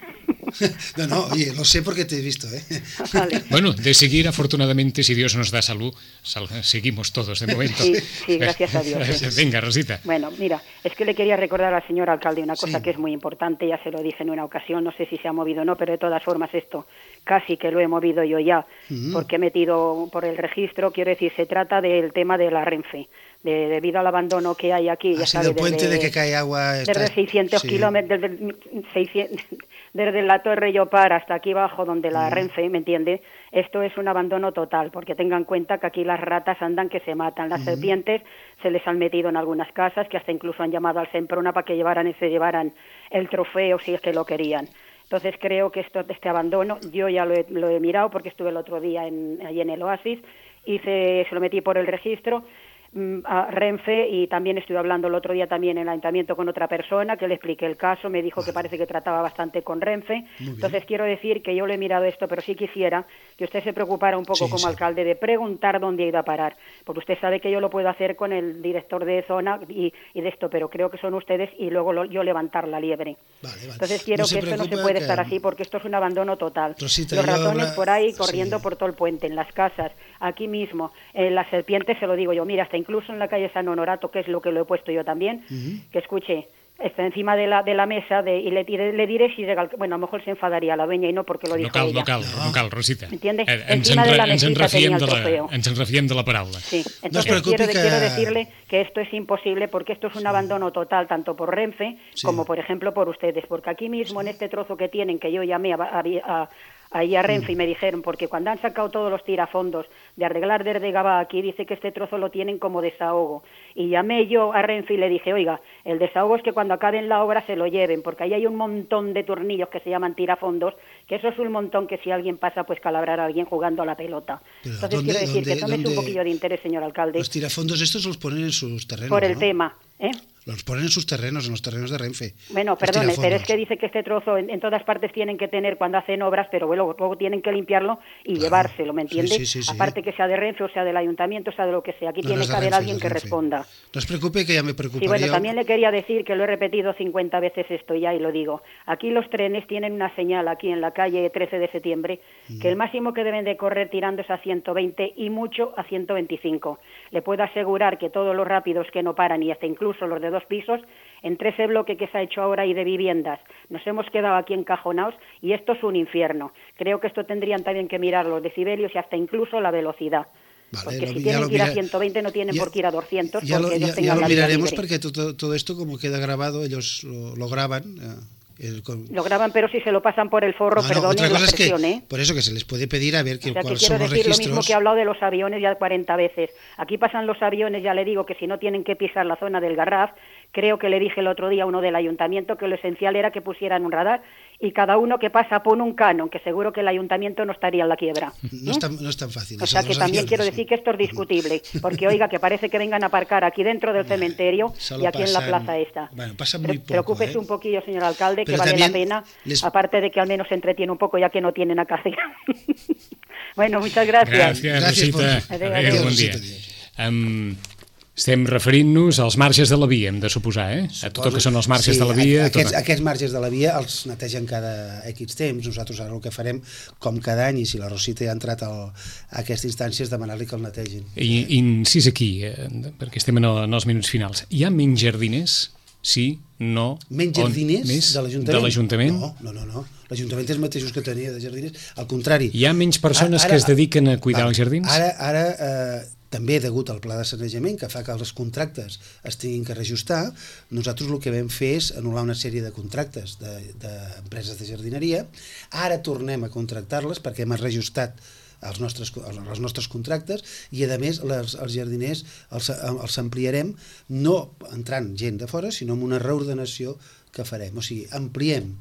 No, no, oye, lo sé porque te he visto, ¿eh? Vale. Bueno, de seguir, afortunadamente, si Dios nos da salud, sal seguimos todos de momento. Sí, sí, gracias a Dios. Sí. Venga, Rosita. Bueno, mira, es que le quería recordar al señor alcalde una cosa sí. que es muy importante, ya se lo dije en una ocasión, no sé si se ha movido o no, pero de todas formas esto casi que lo he movido yo ya, mm. porque he metido por el registro, quiero decir, se trata del tema de la Renfe. De, debido al abandono que hay aquí, ya Así sabe, del puente desde, de que cae agua está... desde seiscientos sí. kilómetros, desde, seiscientos, desde la Torre Llopar hasta aquí abajo donde la mm. Renfe, ¿me entiende? Esto es un abandono total, porque tengan en cuenta que aquí las ratas andan que se matan, las mm. serpientes se les han metido en algunas casas, que hasta incluso han llamado al Semprona para que llevaran se llevaran el trofeo si es que lo querían. Entonces creo que esto, este abandono, yo ya lo he, lo he mirado porque estuve el otro día en, allí en el Oasis, hice, se lo metí por el registro, a Renfe, y también estuve hablando el otro día también en el ayuntamiento con otra persona que le expliqué el caso, me dijo vale. que parece que trataba bastante con Renfe. Entonces quiero decir que yo le he mirado esto, pero sí quisiera que usted se preocupara un poco sí, como sí. alcalde de preguntar dónde ha ido a parar, porque usted sabe que yo lo puedo hacer con el director de zona y, y de esto, pero creo que son ustedes y luego lo, yo levantar la liebre. Vale, vale. Entonces quiero no que esto no se puede que... estar así, porque esto es un abandono total. Rosita, los ratones habrá... por ahí corriendo sí. por todo el puente, en las casas, aquí mismo, en las serpientes, se lo digo yo, mira, hasta incluso en la calle San Honorato, que es lo que lo he puesto yo también, uh-huh. que escuche, está encima de la de la mesa de, y le, le diré si llega, bueno, a lo mejor se enfadaría la dueña y no porque lo dijo no cal, ella. No cal, no cal, Rosita. ¿Entiendes? Eh, encima en, de la mesita tenía el trofeo. Ens en refiem de la paraula. Sí, entonces no quiero, que... quiero decirle que esto es imposible porque esto es un sí. abandono total, tanto por Renfe sí. como, por ejemplo, por ustedes, porque aquí mismo sí. en este trozo que tienen, que yo llamé a, a, a ahí a Renfe y me dijeron, porque cuando han sacado todos los tirafondos de arreglar desde Gabá aquí, dice que este trozo lo tienen como desahogo. Y llamé yo a Renfe y le dije, oiga, el desahogo es que cuando acaben la obra se lo lleven, porque ahí hay un montón de tornillos que se llaman tirafondos, que eso es un montón que si alguien pasa, pues calabrar a alguien jugando a la pelota. Pero entonces ¿dónde, quiero decir dónde, que tomes un poquillo de interés, señor alcalde. Los tirafondos estos los ponen en sus terrenos, por el ¿no? tema, ¿eh? Los ponen en sus terrenos, en los terrenos de Renfe. Bueno, perdone, pero es que dice que este trozo en, en todas partes tienen que tener cuando hacen obras, pero luego, luego tienen que limpiarlo y claro. llevárselo, ¿me entiende? Sí, sí, sí, Aparte sí. que sea de Renfe o sea del ayuntamiento, o sea de lo que sea. Aquí no, tiene no que haber Renfe, alguien que Renfe. responda. No os preocupe, que ya me preocuparía. Sí, bueno, también le quería decir que lo he repetido cincuenta veces esto ya y lo digo. Aquí los trenes tienen una señal aquí en la calle trece de septiembre mm. que el máximo que deben de correr tirando es a ciento veinte y mucho a ciento veinticinco. Le puedo asegurar que todos los rápidos que no paran y hasta incluso los de dos pisos, entre ese bloque que se ha hecho ahora y de viviendas, nos hemos quedado aquí encajonados y esto es un infierno. Creo que esto tendrían también que mirar los decibelios y hasta incluso la velocidad. Vale, porque lo, si tienen que ir a ciento veinte no tienen ya, por qué ir a doscientos. Ya lo, ya, ya lo miraremos porque todo, todo esto como queda grabado, ellos lo, lo graban, eh, Lo graban, pero si se lo pasan por el forro, no, no, perdonen la es expresión, que, ¿eh? Por eso que se les puede pedir a ver que, o sea, cuáles que son quiero los decir registros. Lo mismo que he hablado de los aviones ya cuarenta veces. Aquí pasan los aviones, ya le digo que si no tienen que pisar la zona del Garraf, creo que le dije el otro día a uno del ayuntamiento que lo esencial era que pusieran un radar y cada uno que pasa pone un canon, que seguro que el ayuntamiento no estaría en la quiebra. No, es tan, no es tan fácil. O sea que también aviones, quiero decir ¿no? que esto es discutible, porque oiga, que parece que vengan a aparcar aquí dentro del cementerio Solo y aquí pasan, en la plaza esta. Bueno, pasa muy poco, Preocúpese ¿eh? un poquillo, señor alcalde, Pero que vale la pena, les... aparte de que al menos se entretiene un poco ya que no tienen a hacer. Bueno, muchas gracias. Gràcies, gràcies Rosita. por... Adéu, adéu, bon dia. Um, estem referint-nos als marges de la via, hem de suposar, eh? A tot el que són els marges sí, de la via. Aquests, tot... aquests marges de la via els netegen cada X temps. Nosaltres ara el que farem, com cada any, i si la Rosita ja ha entrat al, a aquesta instància, és demanar-li que el netegin. I incís aquí, eh, perquè estem en, el, en els minuts finals. Hi ha menys jardiners? Sí, no... Menys jardiners de l'Ajuntament? No, no, no. no. L'Ajuntament és els mateixos que tenia de jardiners. Al contrari. Hi ha menys persones ara, ara, que es dediquen a cuidar ara, els jardins? Ara, ara eh, també degut al pla de sanejament, que fa que els contractes es tinguin que reajustar, nosaltres el que vam fer és anul·lar una sèrie de contractes d'empreses de, de jardineria. Ara tornem a contractar-les perquè hem reajustat els nostres, els nostres contractes i a més les, els jardiners els, els ampliarem no entrant gent de fora sinó amb una reordenació que farem, o sigui, ampliem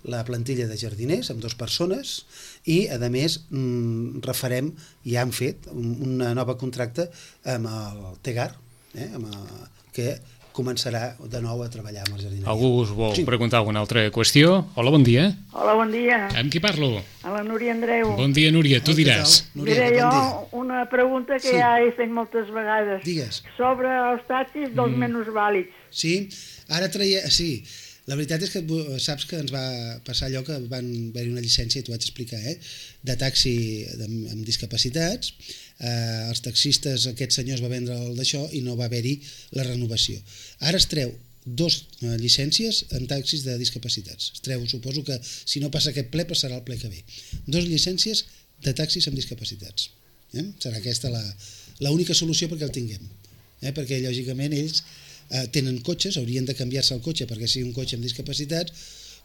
la plantilla de jardiners amb dues persones i a més mm, refarem, ja han fet una nova contracte amb el Tegar, eh, amb el, que començarà de nou a treballar amb els jardiners. Algú us vol sí. preguntar alguna altra qüestió? Hola, bon dia. Hola, bon dia. Amb qui parlo? A la Núria Andreu. Bon dia, Núria, tu diràs. Núria, Diré jo bon una pregunta que sí. ja he fet moltes vegades. Digues. Sobre els taxis dels mm. minusvàlids. Sí, ara traia... Sí, la veritat és que saps que ens va passar allò que van haver-hi una llicència, i t'ho vaig explicar, eh, de taxi amb, amb discapacitats. Eh, els taxistes, aquest senyor es va vendre el d'això i no va haver-hi la renovació. Ara es treu dos eh, llicències en taxis de discapacitats. Es treu, suposo que si no passa aquest ple, passarà el ple que ve. Dos llicències de taxis amb discapacitats. Eh? Serà aquesta la, la única solució perquè el tinguem. Eh? Perquè, lògicament, ells eh, tenen cotxes, haurien de canviar-se el cotxe perquè sigui un cotxe amb discapacitats,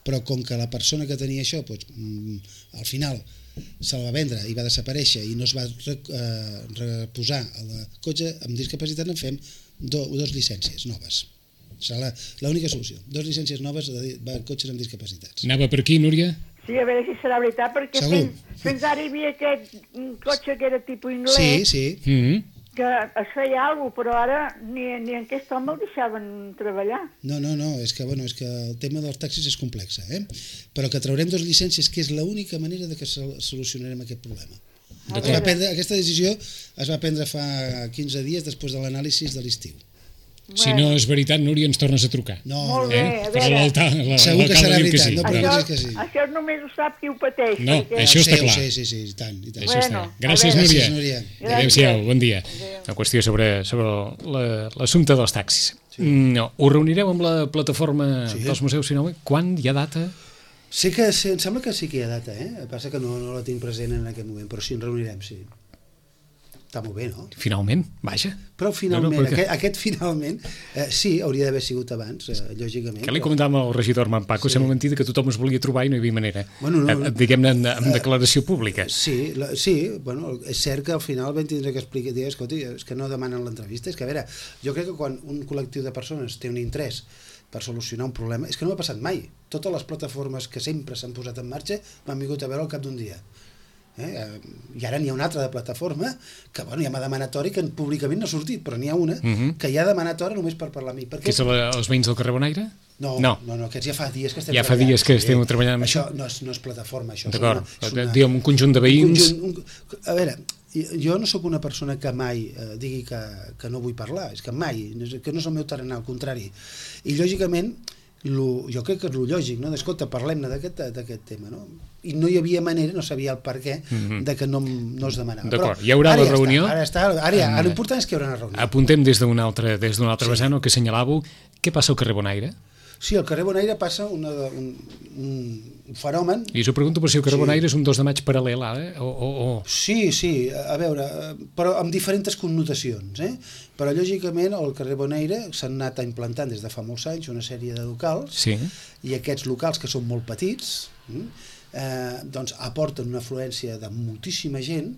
però com que la persona que tenia això, doncs, mm, al final se'l va vendre i va desaparèixer i no es va re, eh, reposar el cotxe amb discapacitat, en fem do, dos llicències noves. Serà l'única solució. Dos llicències noves de, de cotxes amb discapacitats. Anava per aquí, Núria? Sí, a veure si serà veritat, perquè fins, fins ara hi havia aquest cotxe que era tipus anglès, sí, sí. Mm-hmm. que es feia alguna cosa, però ara ni, ni en aquest home el deixaven treballar. No, no, no, és que, bueno, és que el tema dels taxis és complex, eh? Però que traurem dos llicències, que és l'única manera de que solucionarem aquest problema. Es va prendre, aquesta decisió es va prendre fa quinze dies després de l'anàlisi de l'estiu. Bueno. Si no és veritat, Núria, ens tornes a trucar. No, Molt bé, eh? Però l'alcalde segur que serà veritat, sí. no preguntis que sí. Això només ho sap qui ho pateix. No, perquè... això està clar. Sí, sí, sí, i tant, i tant. Això bueno, està. Gràcies, Núria. Gràcies, Núria. Adéu-siau, bon dia. Adéu. Una qüestió sobre, sobre l'assumpte dels taxis. Sí. No, ho reunireu amb la plataforma sí. dels museus Sinau? Quan hi ha data? Sé que, em sembla que sí que hi ha data, eh? El que passa que no, no la tinc present en aquest moment, però sí, en reunirem, sí. Està molt bé, no? Finalment, vaja. Però finalment, no, no, perquè... aquest, aquest finalment, eh, sí, hauria d'haver sigut abans, eh, lògicament. Que li comentàvem al regidor Manpaco, sí. Sembla mentida que tothom es volia trobar i no hi havia manera. Bueno, no, no. Diguem-ne en, en declaració pública. Sí, la, sí, bueno, és cert que al final vam tindre que explicar, dir, escolta, és que no demanen l'entrevista, és que a veure, jo crec que quan un col·lectiu de persones té un interès per solucionar un problema, és que no ha passat mai. Totes les plataformes que sempre s'han posat en marxa m'han vingut a veure al cap d'un dia. Eh? I ara n'hi ha una altra de plataforma que bueno, ja m'ha demanat hora i que públicament no ha sortit, però n'hi ha una uh-huh. que ja ha demanat hora només per parlar amb mi. Que és la, els veïns del carrer Bonaire? No, no, no, no, aquests ja fa dies que estem ja treballant. Ja fa dies que sí. estem treballant amb això. Això no és, no és plataforma, això. D'acord, diguem un conjunt de veïns... Un conjunt, un, a veure, jo no sóc una persona que mai eh, digui que, que no vull parlar, és que mai, que no és el meu tarannà, al contrari. I lògicament, lo, jo crec que és lo lògic, no? Escolta, parlem-ne d'aquest tema, no? I no hi havia manera, no sabia el per què, mm-hmm. de que no, no es demanava. D'acord, hi haurà la ja reunió... Està, ara està, ara ja, ara l'important és que hi haurà una reunió. Apuntem des d'una altra, des d'una altra sí. vessant, el que assenyalàveu, què passa al carrer Bonaire? Sí, al carrer Bonaire passa una, un, un fenomen... I us ho pregunto per si el carrer Sí. Bonaire és un dos de maig paral·lel, eh? O, o, o... Sí, sí, a veure, però amb diferents connotacions, eh? Però lògicament al carrer Bonaire s'han anat implantant des de fa molts anys una sèrie de locals, Sí. i aquests locals que són molt petits, eh, doncs aporten una afluència de moltíssima gent,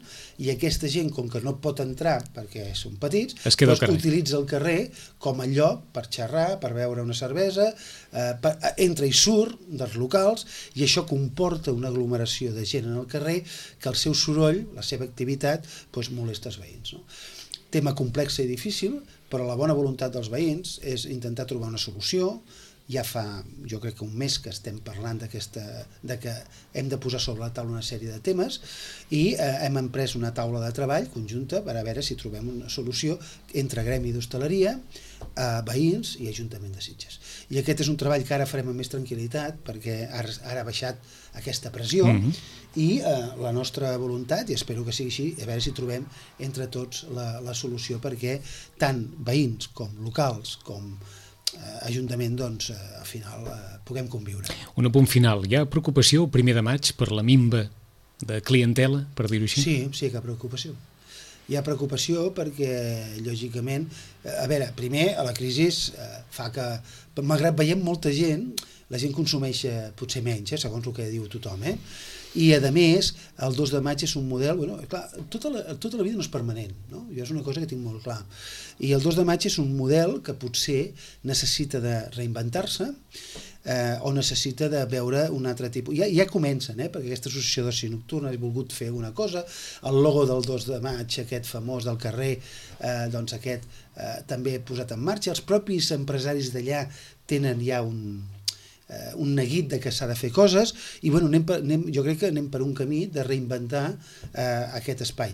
i aquesta gent, com que no pot entrar perquè són petits, Es queda al doncs carrer. utilitza el carrer com a lloc per xerrar, per beure una cervesa, eh, per, entra i surt dels locals, i això comporta una aglomeració de gent en el carrer que el seu soroll, la seva activitat, doncs molesta els veïns, no? Tema complex i difícil, però la bona voluntat dels veïns és intentar trobar una solució. Ja fa, jo crec que un mes que estem parlant d'aquesta, de que hem de posar sobre la taula una sèrie de temes, i eh, hem emprès una taula de treball conjunta per a veure si trobem una solució entre gremi d'hostaleria, eh, veïns i Ajuntament de Sitges. I aquest és un treball que ara farem amb més tranquil·litat, perquè ara, ara ha baixat aquesta pressió, Mhm. i eh, la nostra voluntat, i espero que sigui així, a veure si trobem entre tots la, la solució perquè tant veïns com locals com eh, Ajuntament, doncs, eh, al final eh, puguem conviure. Un apunt final. Hi ha preocupació el primer de maig per la minva de clientela, per dir-ho així? Sí, sí que hi ha preocupació. Hi ha preocupació perquè, lògicament, eh, a veure, primer, a la crisi eh, fa que, malgrat veiem molta gent, la gent consumeix eh, potser menys, eh, segons el que diu tothom, eh? I, a més, el dos de maig és un model... Bueno, clar, tota la, tota la vida no és permanent, no? Jo és una cosa que tinc molt clar. I el dos de maig és un model que potser necessita de reinventar-se, eh, o necessita de veure un altre tipus... Ja, ja comencen, eh? Perquè aquesta associació d'oci nocturna ha volgut fer una cosa, el logo del dos de maig, aquest famós del carrer, eh, doncs aquest eh, també posat en marxa. Els propis empresaris d'allà tenen ja un... Eh, un neguit de que s'ha de fer coses, i bueno, anem per, anem, jo crec que anem per un camí de reinventar eh, aquest espai.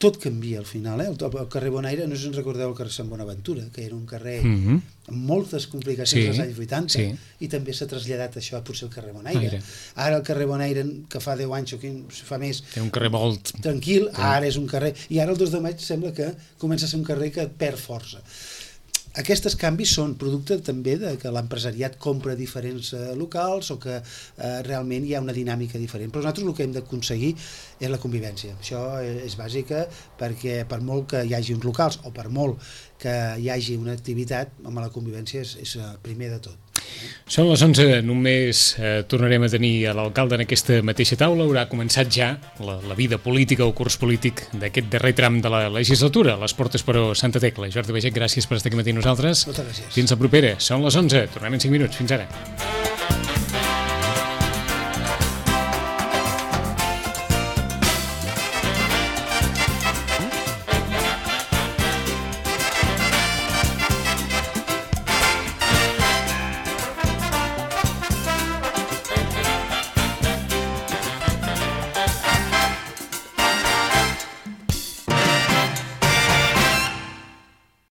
Tot canvia al final, eh? el, el carrer Bonaire, no sé si ens recordeu el carrer Sant Bonaventura, que era un carrer Mhm. amb moltes complicacions Sí, als anys vuitanta, sí. i també s'ha traslladat això a potser el carrer Bonaire. Aire. Ara el carrer Bonaire, que fa deu anys o quinze, fa més, Té un carrer molt... tranquil, ara és un carrer, i ara el dos de maig sembla que comença a ser un carrer que perd força. Aquests canvis són producte també de que l'empresariat compra diferents eh, locals, o que eh, realment hi ha una dinàmica diferent. Però nosaltres el que hem d'aconseguir és la convivència. Això és bàsica, perquè per molt que hi hagi uns locals, o per molt que hi hagi una activitat, home, la convivència és, és primer de tot. Són les onze, només eh, tornarem a tenir a l'alcalde en aquesta mateixa taula. Haurà començat ja la, la vida política o curs polític d'aquest darrer tram de la legislatura. Les portes, però, Santa Tecla. Jordi Baiget, gràcies per estar aquí matí amb nosaltres. Moltes gràcies. Fins la propera. Són les onze, tornem en cinc minuts. Fins ara.